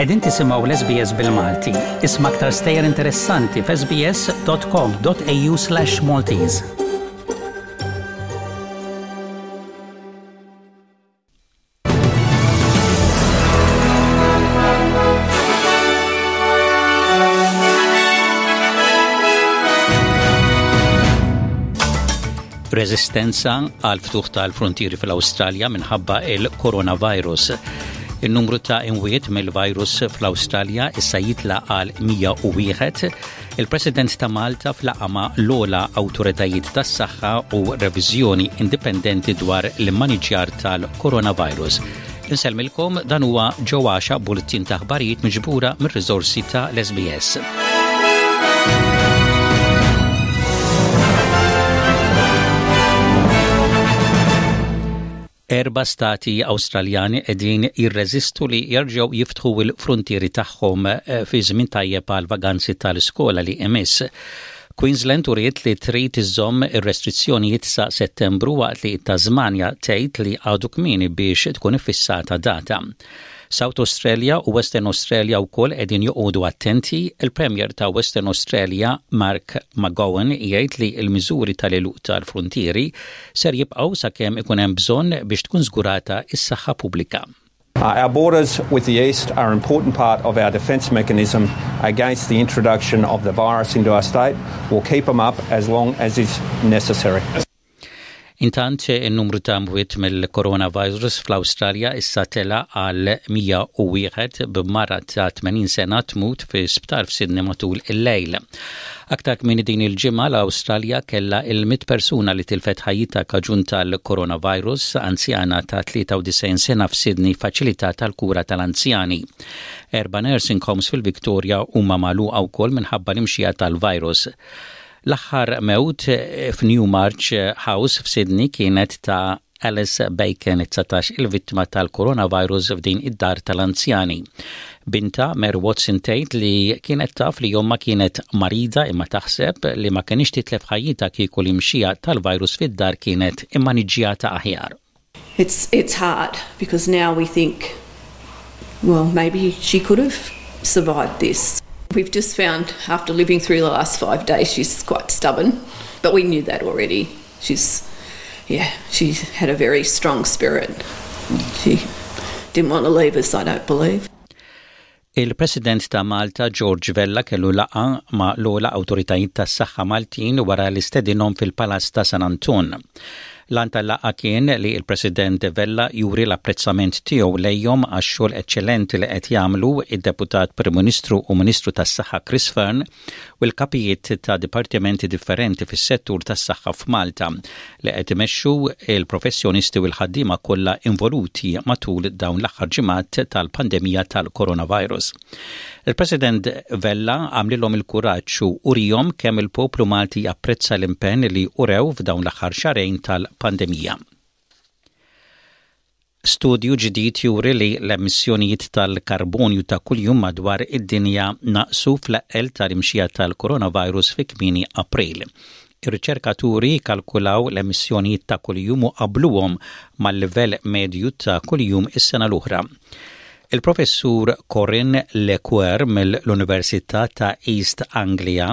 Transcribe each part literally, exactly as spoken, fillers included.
Qegħdin tisimgħu l-S B S bil-Malti. Isma' aktar stejjer interessanti f'S B S dot com dot A U slash Maltese. Resistenza għal ftuħ tal-frontieri fl-Awstralja minħabba il-coronavirus. Il-numru ta' imwiet mill-virus fl-Awstralja issa jitla għal mija u wieħed. Il-President ta' Malta f'laqgħa ma' l-ogħla awtoritajiet tas-saħħa u reviżjoni indipendenti dwar l-immaniġjar tal-coronavirus. Insellmilkom, dan huwa ġewwaxa bulletin ta' aħbarijiet miġbura mir-riżorsi ta' l-S B S. Erba' stati Awstraljani qegħdin jirreżistu li jerġgħu jiftħu l-frontieri tagħhom eh, fi żmien tajjeb għal vaganzi tal-iskola li imiss. Queensland uriet li trid iżomm ir-restrizzjonijiet sa Settembru, waqt li Tasmania tgħid li għadu kmieni biex tkun iffissata data. South Australia u Western Australia wkoll qegħdin joqogħdu attenti. Il-Premier ta' Western Australia, Mark McGowan, jgħid li l-miżuri tal-għeluq tal-frontieri ser jibqgħu sakemm ikun hemm bżonn biex tkun żgurata is-saħħa pubblika. Uh, our borders with the East are an important part of our defence mechanism against the introduction of the virus into our state. We'll keep them up as long as is necessary. Intant, il-numru ta' mwiet mill-coronavirus fl-Awstralja issa tela għal mija u wieħed, b'mara ta' tmenin sena tmut fi sptar f'Sydney matul il-lejl. Aktar kmieni din il-ġimgħa, l-Awstralja kella il-mitt persuna li tilfet ħajjitha kaġun tal-coronavirus, anzjana ta' tlieta u disgħin sena f'Sydney, faċilità tal-kura tal-anzjani. Erba' nursing homes fil-Victoria huma magħluqa wkoll minħabba l-imxija tal-virus. L-aħħar mewt f'Newmarch House f'Sydney kienet ta' Alice Bacon, dsatax il-vittma tal-coronavirus f'din id-dar tal-anzjani. Bintha Mary Watson tgħid li kienet taf li ommha kienet marida, imma taħseb li ma kinitx titlef ħajjitha kieku l-imxija tal-virus fid-dar kienet immaniġġjata aħjar. It's, it's hard because now we think, well, maybe she could have survived this. We've just found after living through the last five days she's quite stubborn, but we knew that already. She's, yeah, she had a very strong spirit. She didn't want to leave us, I don't believe. Il-President ta' Malta, George Vella, kellu laqgħa ma' l-ogħla awtoritajiet tas-saħħa Maltin wara li stedinhom fil-Palazz ta' San Anton. L-għan tal-laqgħa kien li il-President Vella juri l-apprezzament tiegħu lejhom għax-xogħol eċċellenti li qed jagħmlu id-Deputat Prim Ministru u Ministru tas-Saħħa Chris Fearne u l-kapijiet ta' dipartimenti differenti fis-settur tas-saħħa f'Malta, li qed imexxu il-professjonisti u l-ħaddiema kollha involuti matul dawn l-aħħar ġimgħat tal-pandemija tal-coronavirus. Il-President Vella għamlilhom il-kuraġġ u urihom kemm il-poplu Malti japprezza l-impenn li urew f'dawn l-aħħar xahrejn tal-pandemija. Studju ġdid juri li l-emissjonijiet tal-karbonju ta' kuljum madwar id-dinja naqsu fl-eqqel tal-imxija tal-coronavirus fi kmieni April. Ir-riċerkaturi kalkulaw l-emissjonijiet ta' kuljum u qabluhom mal-livell medju ta' kuljum is-sena l-oħra. Il-professur Corinne LeCuyer mill-Università ta' East Anglia,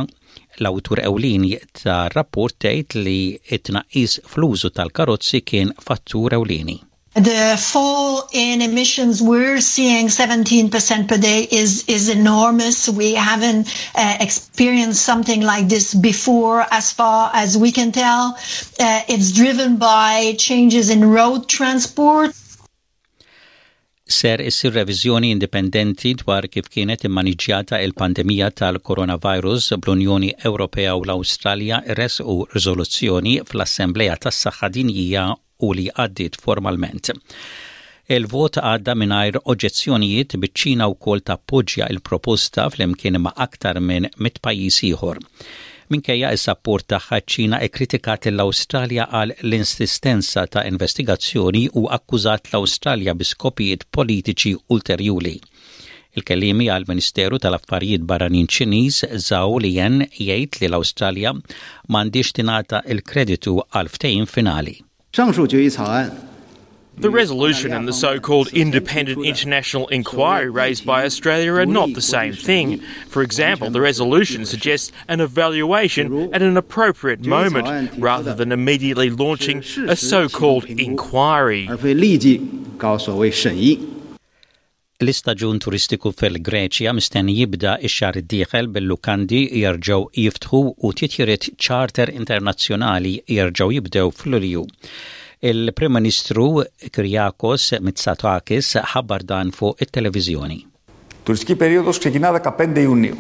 l-awtur ewlieni ta' rapport, tgħid li it-tnaqqis fl-użu tal-karozzi kien fattur ewlieni. The fall in emissions we're seeing, seventeen percent per day, is, is enormous. We haven't uh, experienced something like this before, as far as we can tell. Uh, it's driven by changes in road transport. Ser issir reviżjoni indipendenti dwar kif kienet immaniġġjata il-pandemija tal-coronavirus, bl-Unjoni Ewropea u l-Awstralja resqu riżoluzzjoni fl-Assembleja tas-Saħħa Dinjija u li għaddiet formalment. Il-vot għadda mingħajr oġġezzjonijiet, biċ-Ċina wkoll tappoġġja il-proposta flimkien ma' aktar minn mitt pajjiż ieħor. Minkejja is-sapport tagħha, ċ-Ċina kkritikat l-Awstralja għal l-insistenza ta' investigazzjoni u akkużat l-Awstralja bi skopijiet politiċi ulterjuri. Il-kellimi għal Ministeru tal-Affarijiet Barranin Ċiniż, Zhao Lijian, jgħid li l-Awstralja m'għandhiex tingħata il-kreditu għal ftehim finali. 上述决议草案 The resolution and the so-called independent international inquiry raised by Australia are not the same thing. For example, the resolution suggests an evaluation at an appropriate moment, rather than immediately launching a so-called inquiry. L-istaġun turistiku fil-Greċja mistenni jibda x-xahar id-dieħel, bil-lukandi jerġgħu jiftħu u titjiriet charter internazzjonali jerġgħu jibdew f'Lulju. Il-Prim Ministru Kyriakos Mitsotakis ħabbar dan fuq it-televiżjoni. Τουριστική περίοδος ξεκινά δεκαπέντε Ιουνίου,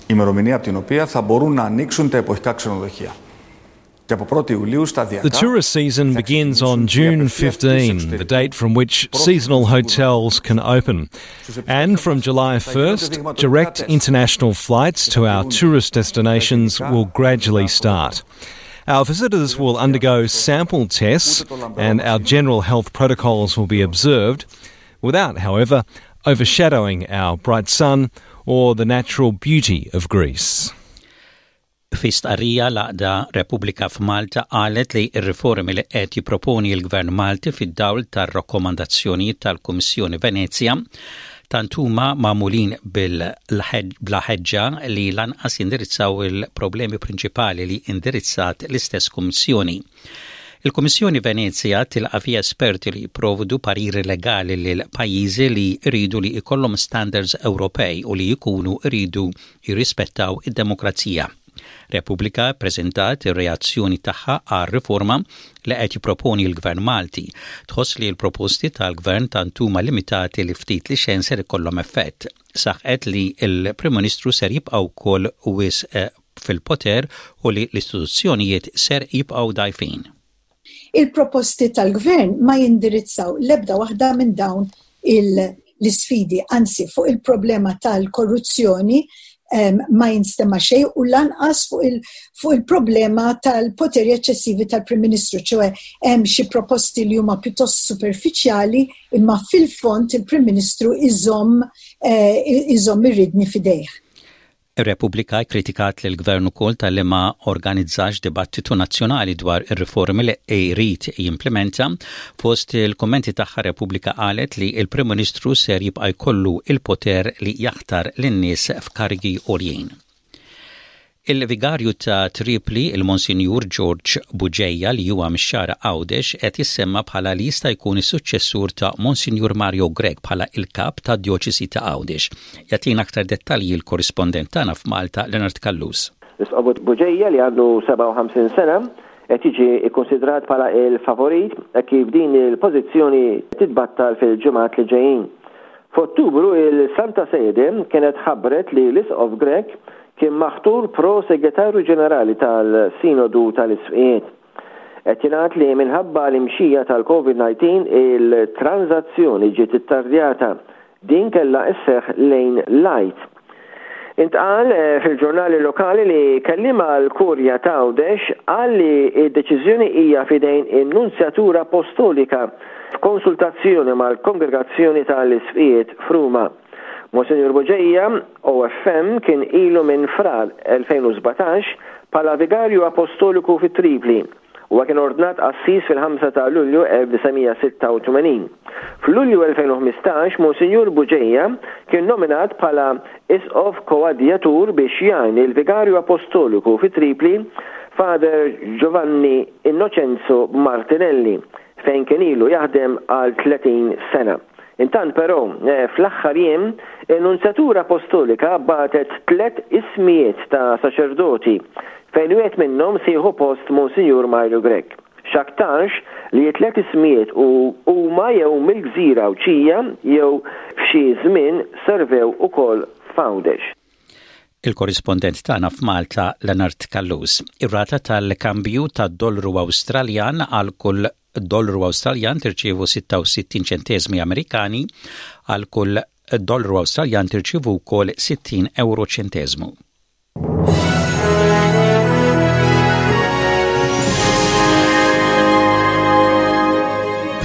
ημερομηνία από την οποία θα μπορούν να ανοίξουν τα εποχικά ξενοδοχεία. The tourist season begins on June fifteenth, the date from which seasonal hotels can open. And from July first, direct international flights to our tourist destinations will gradually start. Our visitors will undergo sample tests and our general health protocols will be observed, without, however, overshadowing our bright sun or the natural beauty of Greece. Fi stqarrija, l-għaqda Repubblika f'Malta qalet li r-riformi li qed jipproponi l-Gvern Malti fid-dawl tar-rakkomandazzjonijiet tal-Kummissjoni Venezja tant huma magħmulin bla ħeġġa li lanqas jindirizzaw il-problemi prinċipali li indirizzat l-istess Kummissjoni. Il-Kummissjoni Venezja tilqa' fiha esperti li jipprovdu pariri legali lil pajjiżi li jridu li jkollhom standards Ewropej u li jkunu jridu jirrispettaw id-demokrazija. Repubblika preżentat ir-reazzjoni tagħha għal riforma li qed jipproponi l-Gvern Malti. Tħoss li l-proposti tal-Gvern tant huma limitati li ftit li xejn ser ikollhom effett. Saħqet li l-Prim Ministru ser jibqa' wkoll wisq eh, fil-poter u li l-istituzzjonijiet ser jibqgħu dgħajfin. Il-proposti tal-gvern ma jindirizzaw l-ebda waħda minn dawn l-isfidi, anzi fuq il-problema tal-korruzzjoni ma jinstema xejn u lanqas fuq il-problema tal-poteri eċċessivi tal-Prim Ministru, ċoè hemm xi proposti li huma pjuttost superfiċjali, imma fil-fond il-Prim Ministru iżomm eh, iżomm ir-riedni f'idejh. Ir-Repubblika kritikat lil gvern ukoll talli ma organizzax dibattitu nazzjonali dwar ir-riformi li jrid jimplementa. Fost il-kommenti tagħha, Repubblika qalet li il-Prim Ministru ser jibqa' jkollu il-poter li jaħtar lin-nies f'karigi għoljin. Il-vigarju ta' Tripli, il-Monsinjur George Bugeja, li huwa mix-Xagħra Għawdex, qed jissemma bħala li jista' jkun is-suċċessur ta' Monsinjur Mario Grech bħala il-kap ta' djoċesi ta' Għawdex. Jagħtina aktar dettalji l-korrispondent tagħna f'Malta, Leonard Callus. L-Isqof Bugeja, li għandu sebgħa u ħamsin sena, qed jiġi ikkonsidrat bħala il-favorit kif din il-pożizzjoni titbattal fil-ġimgħat li ġejjin. F'Ottubru il-Santa Sede kienet ħabbret li l-Isqof Grech kien maħtur pro segretarju ġenerali tal-Sinodu tal-Isqfijiet. Qed jingħad li minħabba l-imxija tal-COVID nineteen il-tranzazzjoni ġiet ittardjata. Din kella isseħ lejn l-Għid. Intqal eh, fil-ġurnali lokali li kelliem għall-Kurja ta' Għawdex qal li id-deċiżjoni hija f'idejn in-Nunzjatura Apostolika f'konsultazzjoni mal-Kongregazzjoni tal-Isqfijiet f'Ruma. Monsignor Bugeja, O F M, kien ilu minn Frar elfejn u sbatax bħala vigarju apostoliku fit Tripli u kien ordnat qassis fil-ħamsa ta' Lulju elf disa' mija sitta u tmenin. F'Lulju elfejn u ħmistax, Monsignor Bugeja kien nominat bħala isqof koadjatur biex jgħin il-vigarju apostoliku fit Tripli, Father Giovanni Innocenzo Martinelli, fejn kien ilu jaħdem għal tletin sena. Intant però, eh, fl-aħħar jiem, in-Nunzjatura Apostolika bagħtet tlet ismijiet ta' saċerdoti fejn wieħed minnhom se jieħu post Monsignor Mario Grech. X'aktarx li tlet ismijiet u huma jew mill-gżira Għawdxija jew f'xi żmien servew ukoll f'Għawdex. Il-korrispondent tagħna f'Malta, Leonard Callus. Ir-rata tal-kambju tad-dollaru Awstraljan: għal kull dollaru Awstraljan tirċievu sitta u sittin ċentesmi Amerikani, għal kull dollaru Awstraljan tirċievu wkoll sittin euro ċentesmu.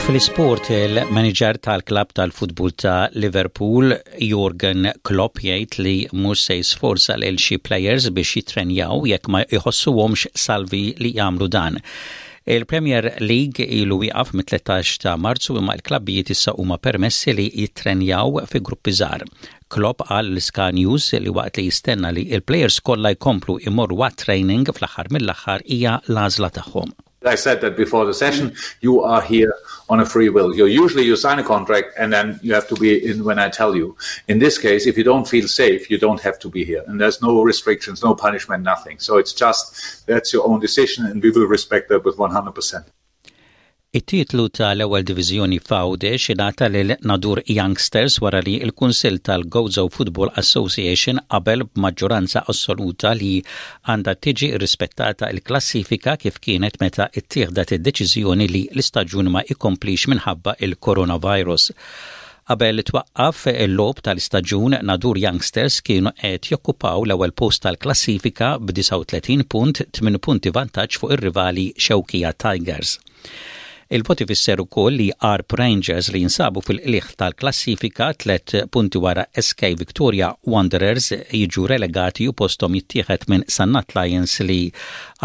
Fl-isport, il-manager tal-klab tal-futbol ta' Liverpool, Jurgen Klopp, jgħid li mhux se jisforza lil xi players biex jitrenjaw jekk ma jħossuhomx salvi li jagħmlu dan. Il-Premier League ilu wieqaf mit-tlettax ta' Marzu, imma l-klabbijiet issa huma permessi li jittrenjaw fi gruppi żgħar. Klopp qal lil Sky News li waqt li jistenna li il-players kollha jkomplu imorru training, fl-aħħar mill-aħħar hija l-għażla tagħhom. I said that before the session, you are here on a free will. You usually you sign a contract and then you have to be in when I tell you. In this case, if you don't feel safe, you don't have to be here. And there's no restrictions, no punishment, nothing. So it's just that's your own decision and we will respect that with one hundred percent. It-titlu tal-ewwel diviżjoni f'Għawdex ingħata lil Nadur Youngsters wara li l-Kunsill tal-Gozo Football Association qabel b'maġġoranza assoluta li għandha tiġi rispettata l-klassifika kif kienet meta ittieħdet id-deċiżjoni li l-istaġun ma jkomplix minħabba il-coronavirus. Qabel twaqqaf il-logħob tal-istaġun, Nadur Youngsters kienu qed jokkupaw l-ewwel post tal-klassifika b'disgħa u tletin punt, tmien punti vantaġġ fuq ir-rivali Xewkija Tigers. Il-voti fisser ukoll li Għarb Rangers, li jinsabu fil-qliħ tal-klassifika tlet punti wara S K Victoria Wanderers, jiġu relegati u postom jittieħed minn Sannat Lions, li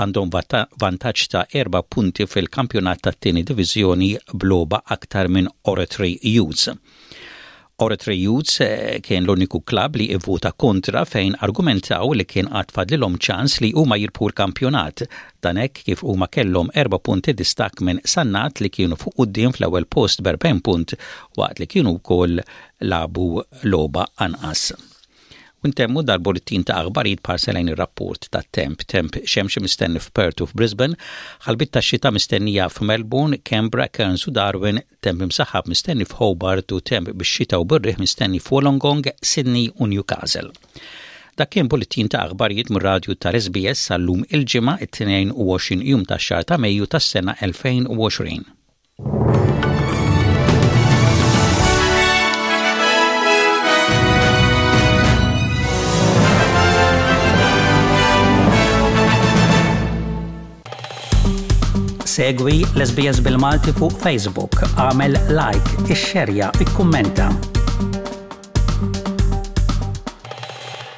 għandhom vantaġġ ta' erba' punti fil-kampjonat tat-tieni diviżjoni b'logħba aktar minn Oratory Youths. Oratory Youths eh, kien l-uniku klab li ivvota kontra, fejn argumentaw li kien għad fadlilhom ċans li huma jirbħu l-kampjonat. Dan hekk kif huma kellhom erba' punti distak minn Sannat, li kienu fuq quddiem fl-ewwel post b'erbgħin punt waqt li kienu wkoll lagħbu logħba anqas. U ntemmu dal-bullettin ta' aħbarijiet b'ħarsa lejn ir-rapport ta' temp. Temp xemxi mistenni f'Perth u f'Brisbane, ħalbiet ta' xita mistennija f'Melbourne, Canberra, Cairns u Darwin, temp imsaħħab mistenni f'Hobart u temp bix-xita u bir-riħ mistenni f'Wollongong, Sydney u Newcastle. Dak kien bullettin ta' aħbarijiet mir-radju tal-S B S għal-lum il-Ġimgħa, it-tnejn u għoxrin jum tax-xahar ta' Mejju tas-sena elfejn u għoxrin. Segwi l-S B S bil-Malti fuq Facebook, għamel like, ixxerja, ikkummenta.